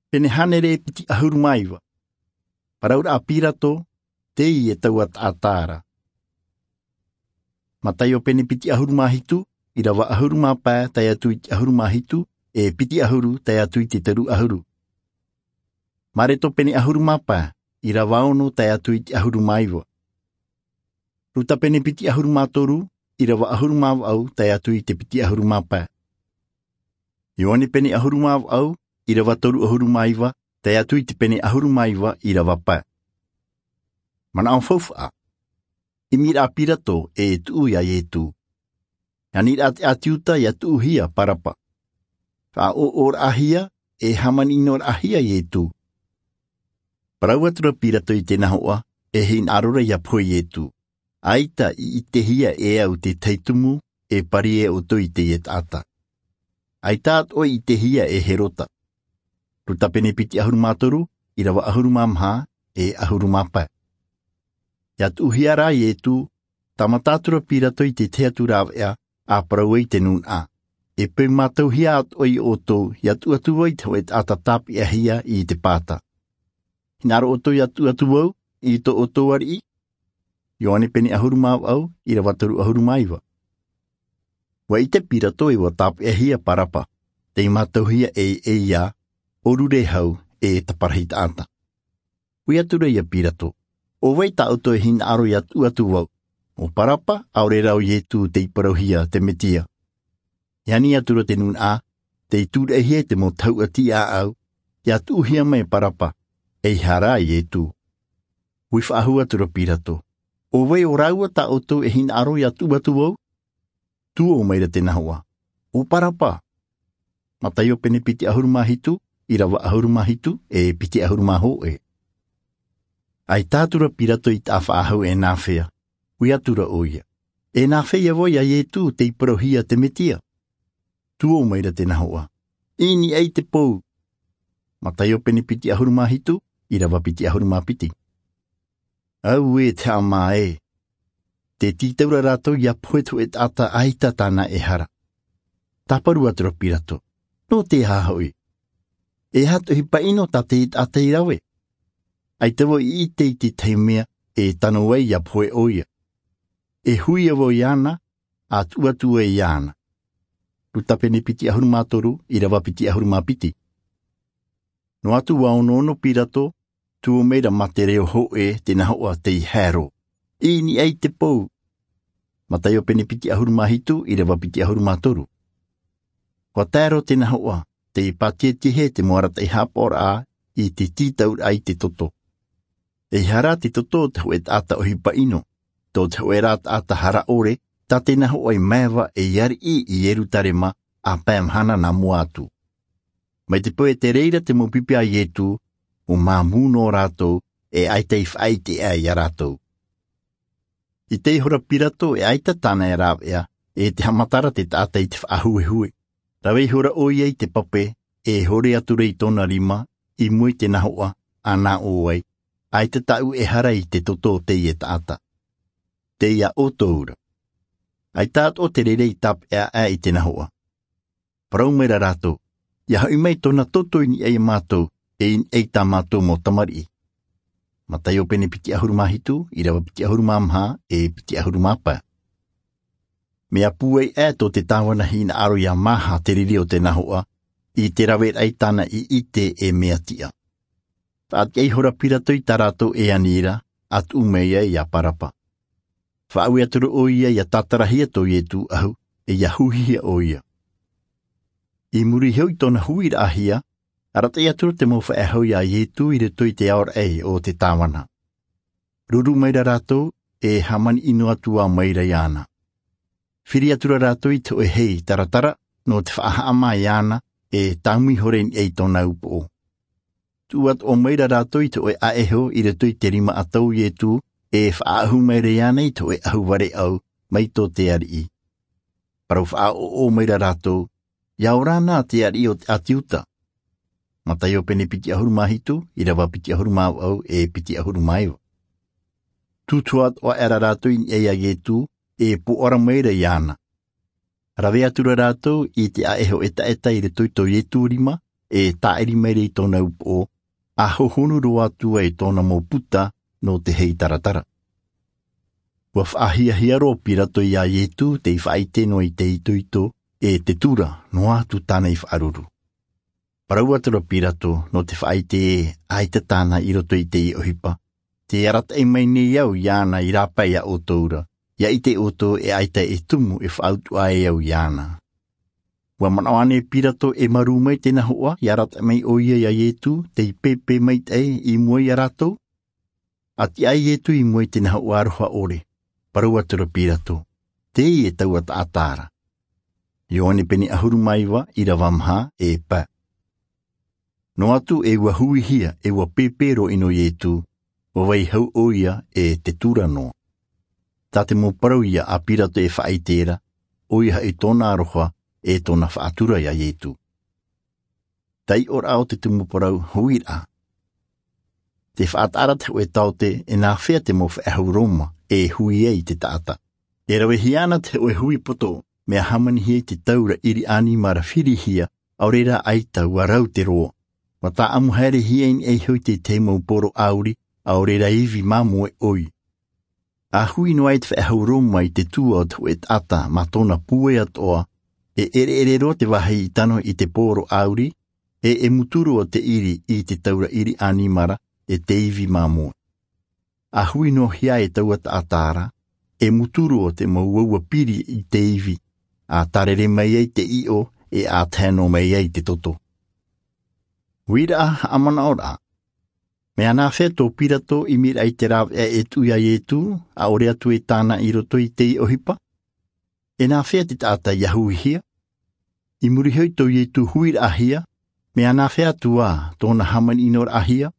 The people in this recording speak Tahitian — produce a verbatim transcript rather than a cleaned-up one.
Pene hānere e piti ʻahuru mā iva. Parau ra a Pirato, tei e taua taʻata ra. Mataio pene piti ʻahuru mā hitu, ʻīrava ʻahuru mā pae tae atu i te ʻahuru mā hitu, e piti ʻahuru tae atu i te toru ʻahuru. Mareko pene ʻahuru mā pae, ʻīrava ono tae atu i te ʻahuru mā iva. Luka pene piti ʻahuru mā toru, ʻīrava ʻahuru mā vaʻu tae atu i te piti ʻahuru mā pae. Ioane pene ʻahuru mā vaʻu, ʻīrava toru ʻahuru mā iva tae atu i te pene ʻahuru mā iva, ʻīrava pae. Manaʻo faufaʻa. ʻImiraʻa a Pirato e tuʻu ia Iesu. E ani ra te ʻāti Iuta ʻia tuʻuhia Baraba. Faʻaʻoʻoraʻahia, e hāmani ʻino raʻahia Iesu. Parau atu ra Pirato i te nahoʻa, e hinaʻaro ra ʻia pohe Iesu. ʻAita i ʻitehia e au te tahi tumu e pari e ʻoutou i teie taʻata. ʻAita atoʻa i ʻitehia e Herota. Luka pene piti ʻahuru mā toru, ʻīrava ʻahuru mā maha, e ʻahuru mā pae. ʻIa tuʻuhia rā Iesu, tāmata atu ra Pirato i te tahi atu rāveʻa, a parau ai te nūnaʻa. E peu mātauhia atoʻa ia ʻoutou, ʻia tuʻu atu vau i te hōʻē taʻata tāpeʻahia i te pāta. Hinaʻaro ʻoutou ʻia tuʻu atu vau i tō ʻoutou ariʻi? Ioane pene ʻahuru mā vaʻu, ʻīrava toru ʻahuru mā iva. ʻUa ʻite Pirato e ʻua tāpeʻahia Baraba, tei mātauhia e, e ia, ʻōrure hau, e taparahi taʻata. Ui atu ra ia Pirato, ʻo vai tā ʻoutou e hinaʻaro ʻia tuʻu atu vau, ʻo Baraba, ʻaore rā ʻo Iesu tei parauhia te Mesia? E ani atu ra te nūnaʻa, tei tūraʻihia i te mau tahuʻa tiʻaʻau, ʻia tuʻuhia mai Baraba, ʻeiaha rā Iesu. Ui faʻahou atu ra Pirato, ʻo vai ʻo rāua tā ʻoutou e hinaʻaro ʻia tuʻu atu vau? Tuō mai ra te nahoʻa, ʻo Baraba. Mataio pene piti ʻahuru mā hitu, ʻīrava ʻahuru mā hitu, e piti ʻahuru mā hōʻē. ʻAita atu ra Pirato i te faʻahou e nāfea, ui atu ra ʻoia. E nāfea vau ia Iesu tei parauhia te Mesia? Tuō mai ra te nahoʻa, i niʻa i te pou. Mataio pene piti ʻahuru mā hitu, ʻīrava piti ʻahuru mā piti. Auē te haʻamā ē. Tē tītau ra rātou ʻia pohe te hōʻē taʻata ʻaita tāna e hara. Tāparu atu ra Pirato, nō te aha hoʻi? E aha te ʻohipa ʻino tā te taʻata i rave? ʻAita vau i ʻite i te tahi mea e tano ai ʻia pohe ʻoia. E huia vau iāna, ʻa tuʻu atu ai iāna. Luka pene piti ʻahuru mā toru, ʻīrava piti ʻahuru mā piti. Noa atu ʻua onoono Pirato, tuō mai ra mā te reo hōʻē te nahoʻa tei haere, i niʻa i te pou. Mataio pene piti ʻahuru mā hitu, ʻīrava piti ʻahuru mā toru. ʻUa tae roa te nahoʻa, tei pātietihia i te mau arataʻi haʻapaʻoraʻa i te tītauraʻa i te toto. ʻEiaha rā te toto o te hōʻē taʻata ʻohipa ʻino, tō te hōʻē rā taʻata hara ʻore, tā te nahoʻa i maeva ei ariʻi i Ierutarema, ʻa pae mahana nā mua atu. Mai te peu e tere ra te mau pipi a Iesu, ʻua māmū noa rātou, e ʻaita i faʻaʻite aʻe ia rātou. ʻIte ihora Pirato e ʻaita tāna e rāveʻa, e te haʻamata ra te taʻata i te faʻahuehue. Rave ihora ʻoia i te pape, e hore atu ra i tōna rima, i mua i te nahoʻa, ʻa nā ʻō ai, ʻaita tāʻu e hara i te toto o teie taʻata. Tei iā ʻoutou ra. ʻAita atoʻa te reira i tāpeʻa aʻe i te nahoʻa. Parau mai ra rātou, ʻia hoʻi mai tōna toto i niʻa ia mātou, e i niʻa i tā mātou mau tamariʻi. Mataio pene piti ʻahuru mā hitu, ʻīrava piti ʻahuru mā maha, e piti ʻahuru mā pae. Mea pūai aʻe tō te tāvana hinaʻaro ʻia māha te riri o te nahoʻa, i te raveraʻa i tāna i ʻite e mea tiʻa. Faʻatiʻa ihora Pirato i tā rātou e ani ra, ʻa tuʻu mai ai ia Baraba. Faʻaue atu ra ʻoia ʻia tātarahia tō Iesu ʻahu, e ʻia huhihia ʻoia. I muri iho i tōna huiraʻahia, arataʻi atu ra te mau faʻehau ia Iesu i roto i te aoraʻi o te tāvana. Ruru mai ra rātou, e hāmani ʻino atu ā mai ra iāna. Firi atu ra rātou i te hōʻē hei taratara, nō te faʻahaʻamā iāna, e tāmau ihora i niʻa i tōna upoʻo. Tuʻu atoʻa mai ra rātou i te hōʻē ʻaʻeho i roto i te rima ʻatau o Iesu, e faʻaʻahu mai ra iāna i te hōʻē ʻahu vareʻau, mai tō te ariʻi. Parau faʻaʻoʻo mai ra rātou, ʻia ora na te ariʻi o te ʻāti Iuta. Mataio pene piti ʻahuru mā hitu, ʻīrava piti ʻahuru mā vaʻu, e piti ʻahuru mā iva. Tūtū atoʻa aʻe ra rātou i niʻa ia Iesu, e pōʻara mai ra iāna. Rave atu ra rātou i te ʻaʻeho ʻetaʻeta i roto i tō Iesu rima, e tāʻiri mai ra i tōna upoʻo, a hohonu roa atu ai tōna mau puta nō te heitaratara. Ua faʻahiahia roa pirato iā iesu tei faʻaʻite noa i te itoito e te tura noa atu tāna i faʻaruru. Parau atu ra pirato nō te faʻaʻite ē ʻaita tāna i roto i te ʻohipa, te arataʻi mai nei au iāna i rāpae iā ʻoutou ra, ia ʻite ʻoutou e ʻaita e tumu e faʻautuʻa ai au iāna. Ua manaʻo ānei pirato e marū mai tēnā hoʻa ia arataʻi mai ʻo ia iā iesu tei pēpē maitaʻi i mua iā rātou? A tiʻa ai iesu i mua i tēnā hoʻa aroha ʻore, parau atu ra pirato, tei e taua taʻata ra. Ioane pene ʻahuru mā iva, irava maha, e pae. Noa atu e ua huihia e ua pēpē roa ʻino iesu, ua vai hau ʻo ia e te tura noa. Tā te mau parau ia a pirato e faʻaʻite ra, ʻo ia hoʻi tōna aroha e tōna faʻatura iā iesu. Taiʻoraʻa o te tumu parau, huiraʻa. Te faʻataʻa ra te hoʻe taote e nāfea te mau faʻehau roma e hui ai i te taʻata. E ravehia ana te hoʻe hui poto mea hāmanihia i te taura ʻiri ʻanimara firihia, ʻaore rā ʻaita ua rau te roa. Ua tāʻamu haerehia i niʻa iho i te tahi mau poro ʻauri, ʻaore rā ivi māmoe ʻoi. A hui noa ai te faʻehau roma i te tua o te hoʻe taʻata mā tōna pūai atoʻa, e ʻereʻere roa te vāhi i tano i te poro ʻauri, e e mutu roa te ʻiri i te taura ʻiri ʻanimara e te ivi māmoe. A hui noa hia e taua taʻata ra, e mutu roa te mau uaua piri i te ivi, a tārere mai ai te ʻiʻo, e a tae noa mai ai te toto. Huiraʻa, haʻamanaʻoraʻa. Mea nāfea tō pirato ʻimiraʻa i te rāveʻa e tuʻu iā iesu, ʻaore atu e tāna i roto i te ʻohipa? E nāfea te taʻata ia huihia? I muri iho i tō iesu huiraʻahia, mea nāfea atu ā tōna hāmani ʻino raʻahia?